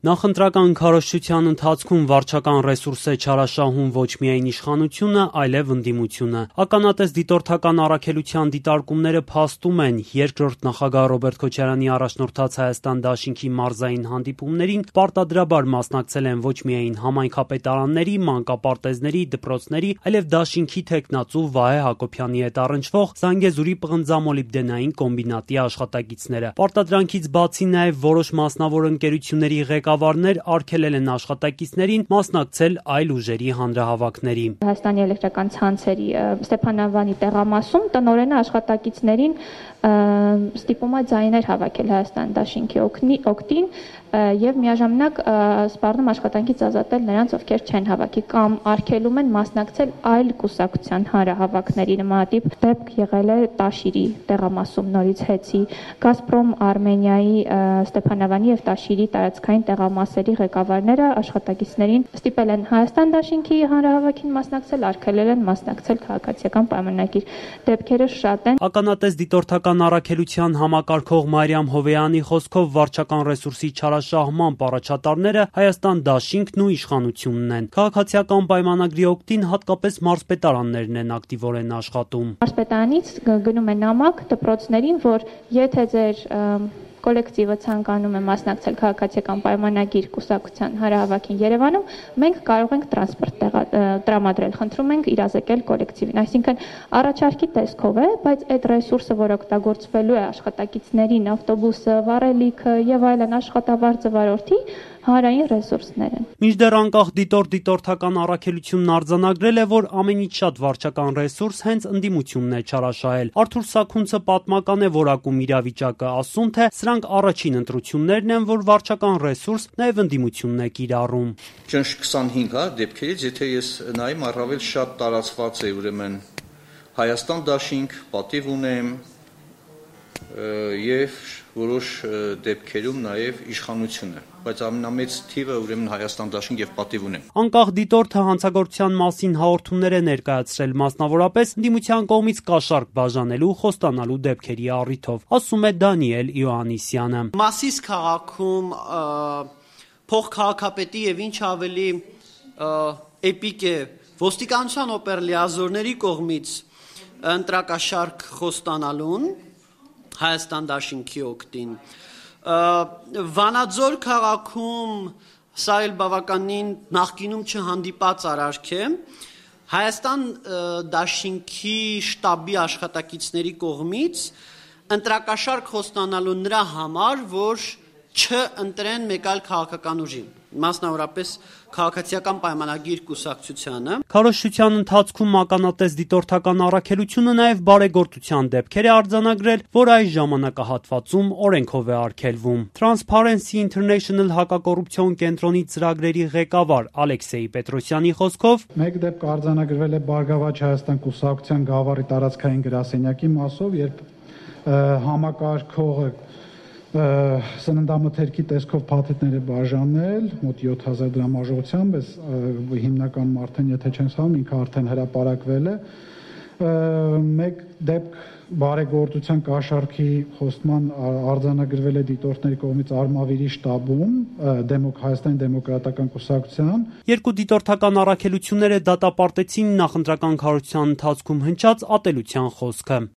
Նախընտրական քարոզչության ընթացքում վարչական ռեսուրս է չարաշահում ոչ միայն իշխանությունը, այլև ընդդիմությունը։ Ականատես դիտորդական առաքելության դիտարկումները փաստում են, երկրորդ նախագահ Ռոբերտ Քոչարյանի առաջնորդած Հայաստան դաշինքի մարզային հանդիպումներին պարտադրաբար մասնակցել են ոչ միայն համայնքապետարանների, մանկապարտեզների, դպրոցների, այլև դաշինքի թեկնածու Վահե Հակոբյանի հետ առնչվող Զանգեզուրի պղնձամոլիբդենային կոմբինատի աշխատակիցները։ Պարտադրանքից բացի նաև որոշ մասնավոր ընկերությունների ղեկավարներ արգելել են աշխատակիցներին մասնակցել այլ ուժերի հանրահավաքների։ Հայաստանի էլեկտրական ցանցերի Ստեփանավանի տեղամասում տնօրենը աշխատակիցներին ստիպում է ձայներ հավաքել Հայաստան դաշինքի օգտին եւ միաժամանակ սպառնում աշխատանքից ազատել նրանց, ովքեր չեն հավաքի կամ արգելում են մասնակցել այլ կուսակցության հանրահավաքների։ Նմանատիպ դեպք եղել է Տաշիրի տեղամասում նորից հեծի Գազպրոմ Արմենիայի Ստեփանավանի եւ Տաշիրի տարածքային տեղամասերի ղեկավարները աշխատակիցներին ստիպել են Հայաստան դաշինքի հանրահավաքին մասնակցել, արգելել են մասնակցել քաղաքացիական պայմանագիր։ Դեպքերը շատ են։ Ականատես դիտորդական առաքելության համակարգող Մարիամ Հովեյանի խոսքով վարչական ռեսուրսի չարաշահման առաջատարները Հայաստան դաշինքն ու իշխանությունն են։ Քաղաքացիական պայմանագրի օգտին հատկապես մարզպետարաններն են ակտիվորեն աշխատում։ Մարզպետարանից գնում է նամակ դպրոցներին, որ եթե ձեր կոլեկտիվը ցանկանում է մասնակցել քաղաքացիական պայմանագիր կուսակցության հանրահավաքին Երևանում, մենք կարող ենք տրանսպորտ տրամադրել, խնդրում ենք իրազեկել կոլեկտիվին։ Այսինքն առաջարկի տեսքով է, բայց այդ ռեսուրսը, որ օգտագործվելու է աշխատակիցներին, ավտոբուսը, վառելիքը եւ այլն աշխատավարձը վարորդի, հանրային ռեսուրսներ են։ Մինչդեռ անկախ դիտորդական առաքելությունն արձանագրել է, որ ամենից շատ վարչական ռեսուրս հենց ընդդիմությունն է չարաշահել։ Արթուր Սաքունցը պատմական է որակում իրավիճակը, ասում թե սրանք առաջին ընտրություններն են, որ վարչական ռեսուրս նաև ընդդիմությունն է կիրառում։ Ճնշ 25 դեպքերից, եթե ես նայեմ, առավել շատ տարածված է ուրեմն Հայաստան դաշինք, պատիվ ունեմ եւ որոշ դեպքերում նաև իշխանությունը, բայց ամենամեծ թիվը ուրեմն Հայաստան դաշինք եւ պատիվ ունեմ։ Անկախ դիտորդը հանցագործության մասին հաղորդումներ է ներկայացրել, մասնավորապես ընդդիմության կողմից կաշառք բաժանելու, խոստանալու դեպքերի առիթով, ասում է Դանիել Իոաննիսյանը։ Մասիս քաղաքում փոխքաղաքապետի եւ ինչ ավելի էպիկ է ոստիկանության օպերլիազորների կողմից ընտրակաշառք խոստանալուն Հայաստան դաշինքի օգտին։ Վանաձոր քաղաքում սա էլ բավականին նախկինում չհանդիպած արարք է։ Հայաստան դաշինքի շտաբի աշխատակիցների կողմից ընտրակաշառք խոստանալու նրա համար, որ չընտրեն մեկ այլ քաղաքական ուժի, մասնավորապես քաղաքացիական պայմանագիր կուսակցությանը։ Քարոզչության ընթացքում ականատես դիտորդական առաքելությունը նաև բարեգործության դեպքեր է արձանագրել, որ այս ժամանակահատվածում օրենքով է արգելվում։ Transparency International հակակոռուպցիոն կենտրոնի ծրագրերի ղեկավար Ալեքսեյ Պետրոսյանի խոսքով մեկ դեպք արձանագրվել է Բարգավաճ Հայաստան կուսակցության գավառի տարածքային գրասենյակի մասով, երբ համակարգողը սննդամթերքի տեսքով փաթեթներ է բաժանել մոտ 7000 դրամ արժողությամբ, հիմնական արդեն եթե չեմ սխալվում, ինքը արդեն հրապարակվել է։ Մեկ դեպք բարեգործության կաշառքի խոստման արձանագրվել է դիտորդների կողմից Արմավիրի շտաբում Հայաստանի դեմոկրատական կուսակցության։ Երկու դիտորդական առաքելությունները դատապարտեցին նախընտրական քարոզչության ընթացքում հնչած ատելության խոսքը։